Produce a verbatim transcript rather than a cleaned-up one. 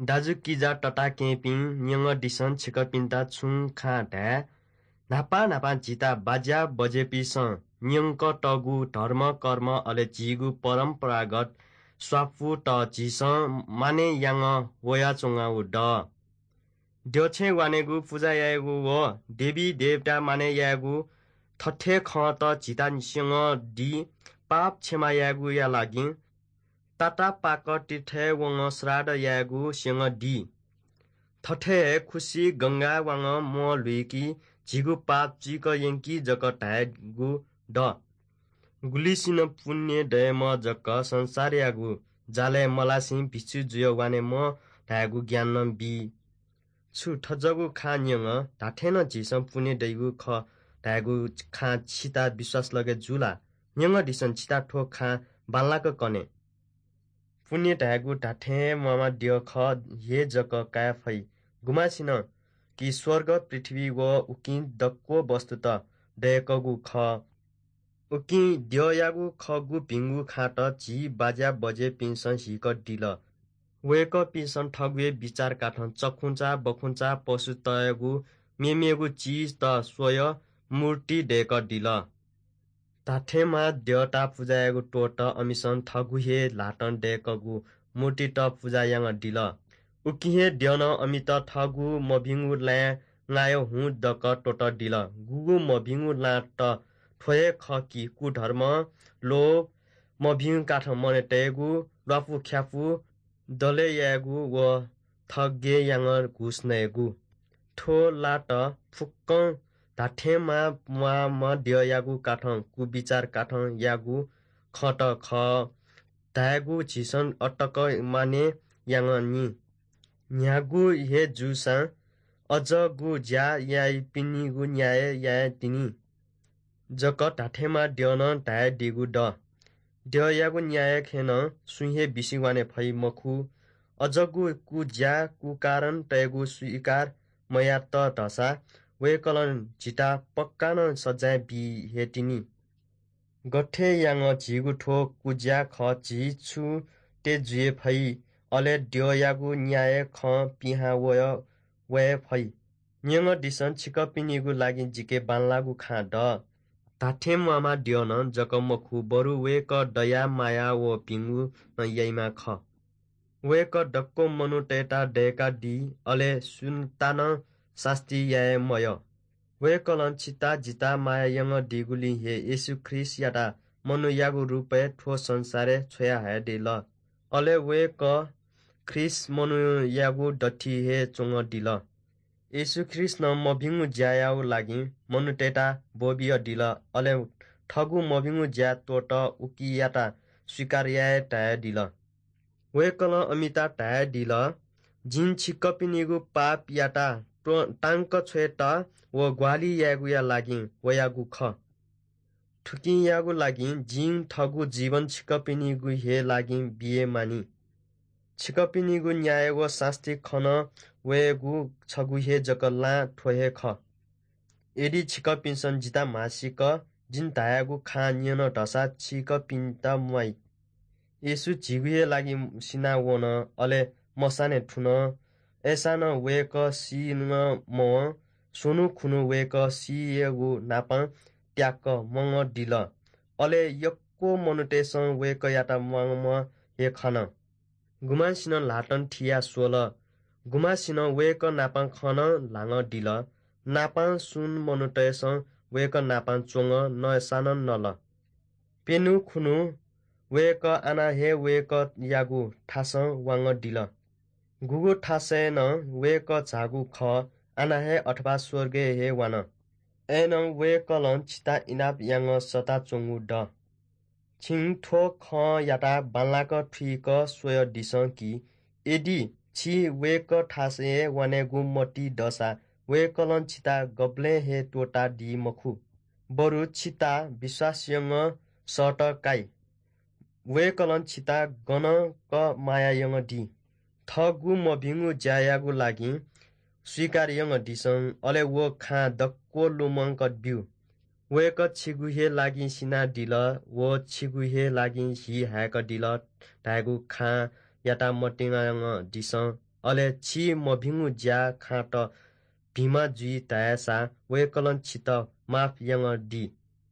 दाजुकिजा तताकेहेँपिं, न्यंगदिसँ छिकपिन्त छुं खँ धाये। न्हापा न्हापा झीत बाज्या बज्येपिसं न्यंकतःगु धर्म कर्म अले झीगु परम्परागत स्वापुत झीसं मानय् यानाः वयाच्वंगु दु। द्यःछेँ वानेगु, पुजा यायेगु व देवी देवता मानय् यायेगु थथे खँत झीत स्यंगदी। पाप क्षमा यायेगुया लागि तातापाक तीर्थय् वंगः श्राद्ध यायेगु स्यंगदी। थथे हे खुसि गंगाय् वंगः म्वः ल्हुइकी, झीगु पाप चुइक यंकी जक धायेगु दु। गुलिसिनं पुण्य दयेम्ह जक संसारयागु जालय् मलासें भिक्षु जुयाः वानेम्ह धायेगु ज्ञान नं बी। छु थज्याःगु खँ न्यंगः धात्थें नं झीसं पुण्य दइगु खः धायेगु खँ छित विश्वास लगे जू ला? न्यंगदिसँ छित थ्व खँ बांलाक कने। पुण्य धायेगु धात्थें हे म्वाःम्ह द्यः खः हे जक काये फइ। गुम्हसिनं कि स्वर्ग, पृथ्वी व उकिं दक्व वस्तुत दय्कःगु खः। उकिं द्यःयागु खःगु भिंगु खँत झी बाज्या बज्येपिन्सं हीकदिल। वय्कःपिन्सं थःगु हे बिचार काथं चखुंचा, बखुंचा, पशुतय्गु मेमेगु चिजत स्वयाः मूर्ति दय्कदिल। धात्थें म्वाः द्यःत पुजा यायेगु त्वःतः अमिसं थःगु हे ल्हातं दय्कःगु मूर्तित पुजा यानादिल। उकिं हे द्यनं अमित थःगु मभिंगु लँय् नायः हुँ दक त्वःतदिल। गुगु मभिंगु लँत थ्व हे खः कि कुधर्म, लोभ, मभिंगु काथं मनय् तयेगु, ल्वापुख्यापु, दले यायेगु व थगय् यानाः घुस नयेगु। थ्व लँत फुक्कं धात्थें म्वाः, म्वाःम्ह द्यःयागु काथं, कुबिचार काथं याःगु खँत खः धायेगु झीसं अतक मानय् यानानि। न्ह्यागु हे जूसां अज्याःगु ज्या याइपिनिगु न्याय याये तिनि जक धात्थें म्वाः द्यनं धयादीगु दु। द्यःयागु न्याय खँय् नं सुं हे बिसिं वाने फइ मखु। अज्याःगु कुज्या, कुकारण तयेगु स्वीकार मयात धाःसा वय्कलं झीत पक्का नं सजाँय बी हे तिनि। गथे यानाः झीगु थ्व कुज्या खः, झी छु तये जुइ फइ, अले द्यःयागु न्याय खँ पिहां वये, वये फइ। न्यंगदिसँ, छिकपिनिगु लागि जिके बांलाःगु खँ दु। धात्थें म्वाःम्ह द्यनं जक मखु, बरु वय्कः दया माया व भिंगु नं याइम्ह खः। वय्कः दक्व मनूतय्त दय्कादी, अले सुन्ता नं सास्ती याये मयः। वय्कलं छित जित माया यानादीगुलिं हे येशू ख्रीष्टयात मनूयागु रूपय् थ्व संसारय् छ्वयाहयादिल। अले वय्कः ख्रीष्ट मनूयागु दथुइ हे च्वनादिल। येशू ख्रीष्टं मभिंगु ज्यायागु लागि मनूतय्त ब्वबियादिल, अले थःगु मभिंगु ज्या त्वःतः उकियात स्वीकार याये धयादिल। वय्कलं अमित धयादिल, जिं छिकपिनिगु पापयात त्व-, तांक छ्वयेत व ग्वाहालि यायेगुया लागि वयागु खः। थुकियागु लागि जिं थःगु जीवन छिकपिनिगु हे लागि बिये मानि। छिकपिनिगु न्याय व सास्ती खना वयेगु छगू हे जक लँ थ्व हे खः। यदि छिकपिन्सं जितः म्हासिक जिं धयागु खँ न्यन धाःसा छिकपिन्त म्वाइ। येशू झीगु हे लागि सिनावन, अले मसानय् थुन। अय्सां नं वय्कः सी नं मवं। स्वन्हु खुन्हु वय्कः सीयागु न्हापां त्याक्क म्वानादिल। अले यक्व मनूतय्सं वय्कःयात म्वाःम्ह हे खन। गुम्हसिनं ल्हातं थियाः स्वल। गुम्हसिनं वय्कः नाप खँ नं ल्हानादिल। नापं स्वन्हु मनूतय्सं वय्कः नाप च्वंगः नसानं नल। प्यन्हु खुन्हु वय्कः आः हे वय्कःयागु थासं वानादिल। गुगु थासय् नं वय्कः झाःगु खः, आः हे अथवा स्वर्गय् हे वान। अय्नं वय्कलं छित इनाप यानाः सःताच्वंगु दु। छिं थ्व खँयात बांलाक थुइक स्वयादिसँ कि यदि छि वय्कः थासय् वानेगु मतिइ दःसा वय्कलं छित गबलें हे त्वःतादी मखु, बरु छित विश्वास यानाः सःतकाइ। वय्कलं छित गनं क माया यानादी। थःगु मभिंगु ज्यायागु लागि स्वीकार यानादिसँ, अले व खँ दक्व लुमंक ब्यु। वय्कः छिगु हे लागि सिनादिल व छिगु हे लागि हि हाय्कादिल धायेगु खँयात मतिना यानादिसँ, अले छि मभिंगु ज्या खाँत भिंम्ह जुइ धाःसा वय्कलं छितः माफ यानादी।